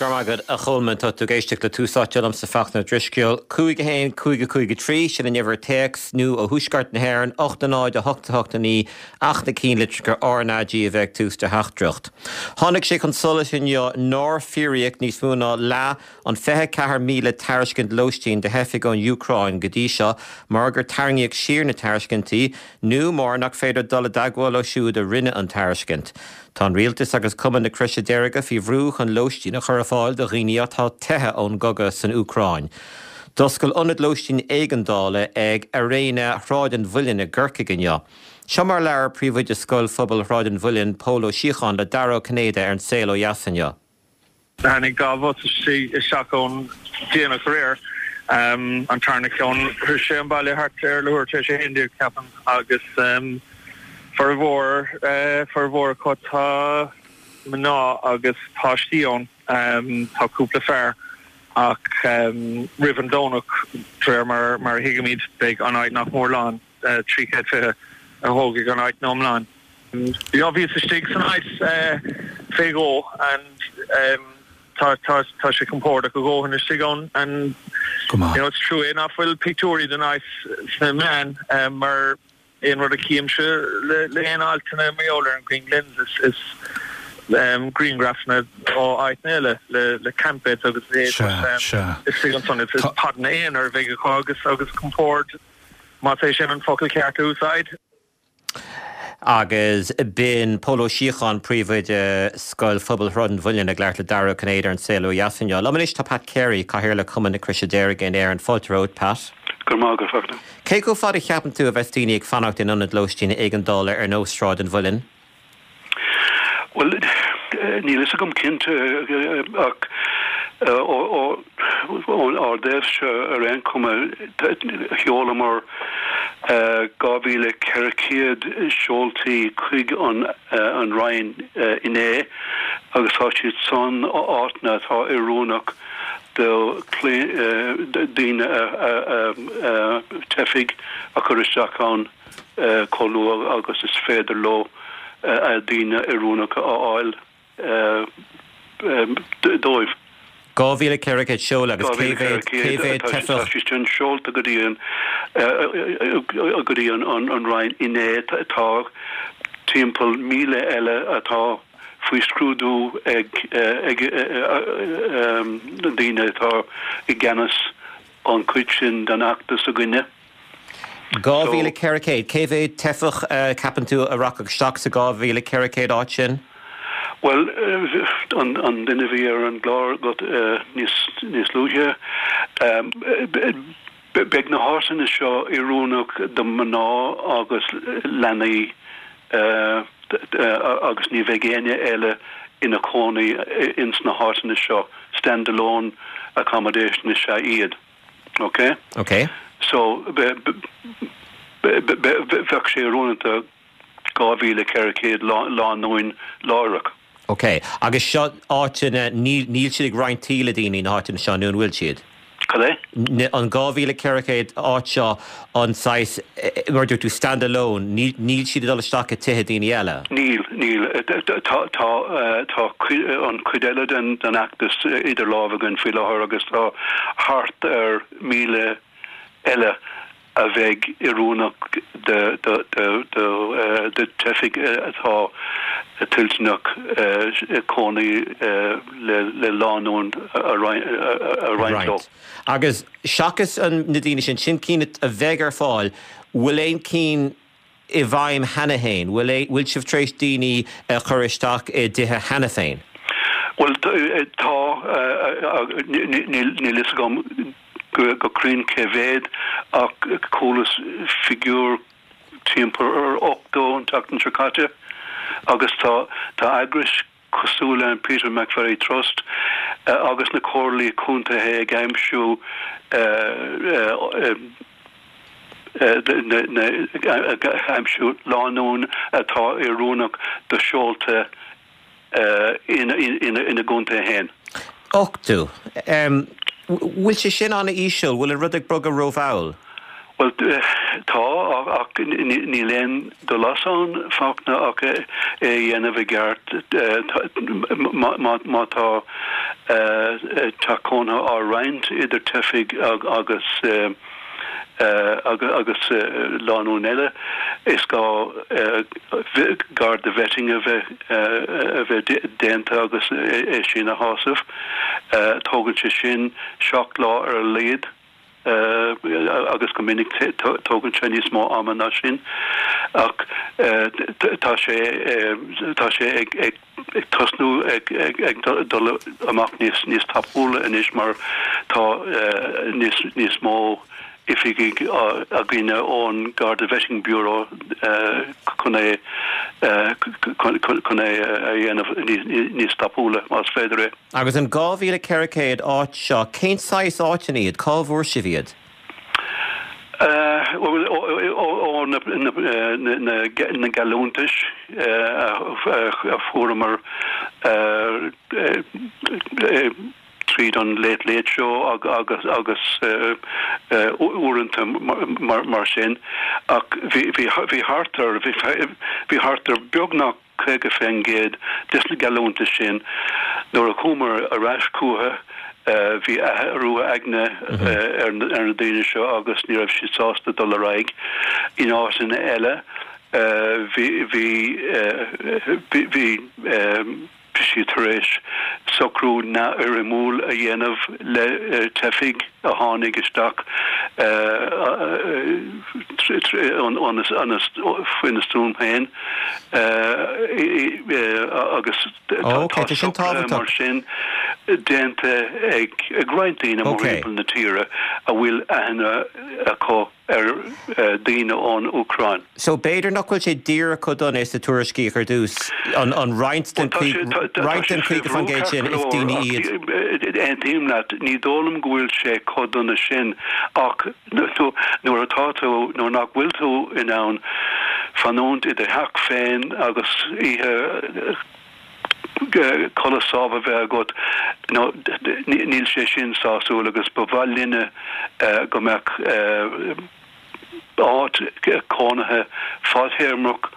Go raibh maith agat, a Cholmáin. Tá tú ag éisteacht le Tús Áite liomsa, Fachtna Ó Drisceoil. 5 1 5 5 3, sin an uimhir téacs, nó ó thuaisceart na hÉireann, 8 0 8 8 9, ach na cinnlitreacha RnaG a bheith ag tús do theachtaireacht. Tháinig sé chun solais inniu nár fíoraíodh níos mó ná leath an 24,000 tairiscint lóistín do theifigh ón Úcráin go dtí seo mar gur tarraingíodh siar na tairiscintí nó mar nach féidir dul i dteagmháil leo siúd a rinne an tairiscint. Tá an rialtas agus Cumann na Croise Deirge faoi bhrú chun lóistín a chur ar fáil do dhaoine atá teithe ón gcogadh san Úcráin. D'oscail ionad lóistín éigeandála ag Airéine Shráid an Mhuilinn i gCorcaigh inniu. Seo mar a labhair príomhoide Scoil Phobail Shráid an Mhuilinn, Pól Ó Síocháin le Dara Ó Cinnéide ar An Saol Ó Dheas inniu. Tháinig dá bhus isteach ón déanach aréir. An tarna ceann, shroich sé an baile thart ar leathuair tar éis a 11, ceapaim, agus formhór, formhór acu tá mná agus páistí ann. Tá cúpla fear ach roimh an Domhnach, de réir mar a thuigimid, beidh an áit nach mór lán. 320 a thógfaidh an áit in iomlán. Yeah, bhíos istigh san áit fé dhó and tá tá tá sé compordach a dhóthain istigh ann and Go maith. you know it's trua é nach bhfuil pictiúirí den áit sna meáin mar aon rud a chímse le le haon altanna mar gheall ar an Green Glens is is grianghrafanna ó áiteanna eile le le camp beds agus a leithéid Sea, but sea. istigh ansan it's it's podanna aonair a bheidh acu agus agus compord Más é sin an focal ceart a úsáid. Agus b'in Pól Ó Síocháin, Príomhoide Scoil Phobail Shráid an Mhuilinn ag labhairt le Dara Ó Cinnéide ar An Saol Ó Dheas inniu. Liom anois tá Pat Carey, Cathaoirleach Chumann na Croise Deirge in Éirinn. Fáilte romhat, Pat. Go raibh maith agat, Fachtna. Cé chomh fada a cheapann tú a bheas daoine ag fanacht in ionaid lóistín éigeandála ar nós Sráid an Mhuilinn? Bhuel, níl fhios agam cinnte ach ón ár dtaobhse ar aon chuma sheolamar 2,400 seoltaí chuig an Roinn inné agus tá siad san áiteanna atá oiriúnach do daoine teifigh a chur isteach ann. chomh luath agus is féidir leo daoine oiriúnacha a fháil dóibh. 2,400 seoladh agus cé mhéad, cé mhéad teifeach? Tá siad sin seolta go dtí an, go dtí an Roinn inné. Tá timpeall 1,000 eile atá faoi scrúdú ag na daoine atá i gceannas an chuid sin den fheachtas againne. 2,400. Cé mhéad teifeach, ceapann tú, a rachadh isteach sa 2,400 áit sin? Bhuel, an duine a bhí ar an gclár agat níos luaithe, beidh na háiteanna seo oiriúnach do mhná agus leanaí agus ní bheidh éinne eile ina chónaí ins na háiteanna seo, stand alone accommodation is ea iad. Ok? Ok. So, bheadh sé oiriúnach do 2,400 lánúin láithreach. Ok. Agus seo áiteanna, níl, níl siad ag roinnt tí le daoine na háiteanna seo, nó an bhfuil siad? Cad é? An 2,400 áit seo, an saghas, mar a dúirt tú, stand alone, níl, níl siad ag dul isteach i tithe daoine eile? Níl, níl. Tá, tá, tá an chuid eile den, den fheachtas idir lámha againn faoi láthair agus tá thart ar 1,000 eile a bheidh oiriúnach do, do, do, do, do teifigh atá toilteanach cónaí le, le lánúin a roinnt leo. Agus seachas na daoine sin, sin cinn a bheidh ar fáil, bhfuil aon cinn i bhfeidhm cheana féin? Bhfuil, bhfuil sibh tar éis daoine a chur isteach i dtithe cheana féin? Bhuel, tá, níl fhios agam go cruinn cé mhéad ach chualas figiúr timpeall ar 80 an tseachtain seo caite agus tá, tá eagrais cosúil le an Peter McVerry Trust agus na comhairlí contaetha ag aimsiú ag aimsiú lánúin atá oiriúnach do seolta ina gcontae féin. 80. Bhfuil sé sin an-íseal? Bhfuil an rud ag bogadh rómhall? Bhuel, tá, ach níl aon dul as ann, Fachtna, ach é a dhéanamh i gceart. Má tá. Teach cónaithe á roinnt idir teifigh agus agus lánúin eile. Is gá Garda vetting a bheith a bheith déanta agus é sin a shásamh. Tógann sé sin 7 lá ar a laghad. agus go minic tógann sé níos mó ama ná sin ach tá sé tá sé ag ag tosnú ag ag dul amach níos níos tapúla anois mar tá níos níos mó oifigigh againne ón Garda Vetting Bureau chun é chun é a dhéanamh níos tapúla más féidir é. Agus an 2,400 áit seo, cén saghas áiteanna iad? Cá bhfuair sibh iad? Bhuel, ó na geallúntais a fuaireamar tríd an Late Late Show agus uaireanta mar sin. Ach bhí thart ar, bhí thart ar beagnach 50% des na geallúntais sin. Nuair a chuamar ar ais chucu, bhí athrú aigne ar na daoine seo agus ní raibh siad sásta dul ar aghaidh. In áiteanna eile, bhí, bhí, bhí, siad tar éis socrú neamhfhoirmiúil a dhéanamh le teifigh a tháinig isteach faoina stuaim féin agus tá socruithe mar sin déanta ag roinnt daoine mórthimpeall na tíre a bhfuil aithne acu ar daoine ón Úcráin. So b'fhéidir nach bhfuil sé díreach chomh dona is a tuairiscíodh ar dtús, an roinnt den 50% sin is daoine iad. Aontaím leat, ní dóigh liom go bhfuil sé chomh dona sin ach nuair atá tú, nuair nach bhfuil tú in ann fanúint i do theach féin agus oíche codladh sámh a bheith agat, nó níl sé sin sásúil agus ba mhaith linne go mbeadh áit cónaithe fadthéarmach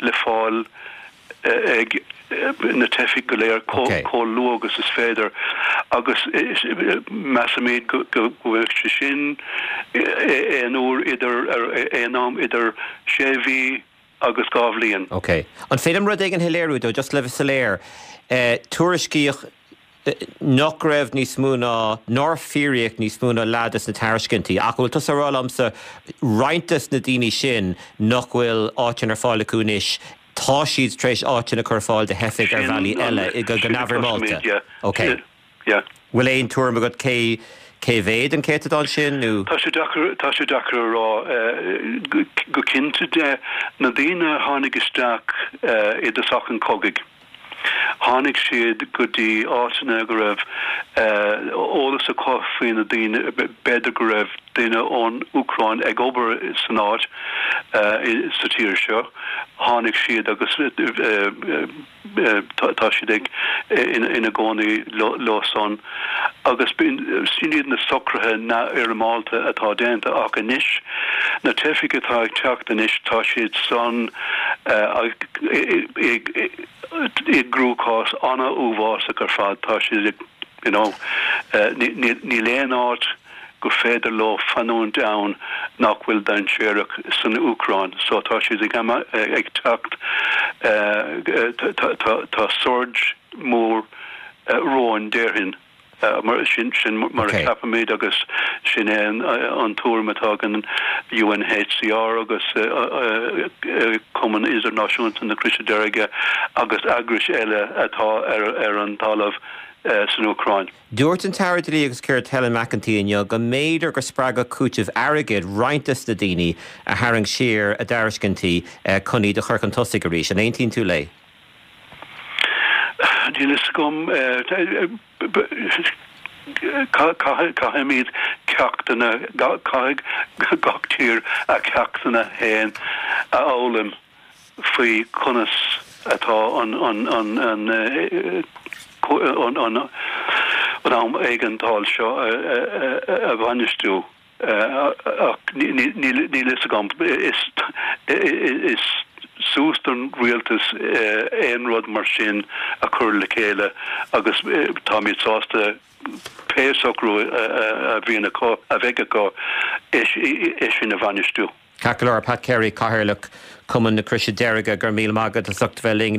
le fáil ag na teifigh go léir chomh luath agus is féidir agus measaimid go mbeadh sé sin aon uair idir, aon am idir sé mhí agus 2 bhliain. Ok. An féidir liom rud éigin a shoiléiriú dó, just le bheith soiléir? Tuairiscíodh nach raibh níos mó ná, nár fíoraíodh níos mó ná leath des na tairiscintí. Ach an bhfuil tusa ag rá liomsa roinnt des na daoine sin nach bhfuil áiteanna ar fáil acu anois, tá siad tar éis áiteanna a chur ar fáil do theifigh ar bhealaí eile, go neamhfhoirmeálta? Ok. Yeah. Bhfuil aon tuairim agat cé cé mhéad an céatadán sin nó? Tá sé deacair, tá sé deacair a rá. Go cinnte de, na daoine a tháinig isteach i dtosach an chogaidh, tháinig siad go dtí áiteanna go raibh eolas acu faoi na daoine, b'fhéidir go raibh duine ón Úcráin ag obair san áit, sa tír seo, tháinig siad agus. tá siad ag ina gcónaí leo san agus sin iad na socruithe neamhfhoirmeálta atá déanta ach anois na teifigh atá ag teacht anois tá siad san i gcruachás an-uafásach ar fad tá siad ag you know níl aon áit gur féidir leo fanúint ann nach bhfuil dainséarach san Úcráin. So tá siad ag ag teacht, tá surge mór romhainn déarfainn. Mar sin sin mar a ceapaimid agus sin é an tuairim atá ag an UNHCR agus Cumann Idirnáisiúnta na Croise Deirge agus eagrais eile atá ar an talamh san Úcráin. Dúirt an tAire Dlí agus Cirt Helen McEntee inniu go mb'fhéidir gur spreagfadh cúiteamh airgid roinnt des na daoine a tharraing siar a dtairiscintí chun iad a chur chun tosaigh arís. An aontaíonn tú léi? Níl fhios agam. Caithfimid ceachtanna, caithfidh gach tír a ceachtanna féin a fhoghlaim. faoi conas atá an am éigeandáil seo a bhainistiú ach níl fhios agam. Is. suas don rialtas aon rud mar sin a chur le chéile agus táimid sásta pé socrú a bhíonn acu, a bheidh acu, é sin a bhainistiú. Ceart go leor, Pat Carey, Cathaoirleach Chumann na Croise Deirge, go raibh míle maith agat as ucht a bheith linn.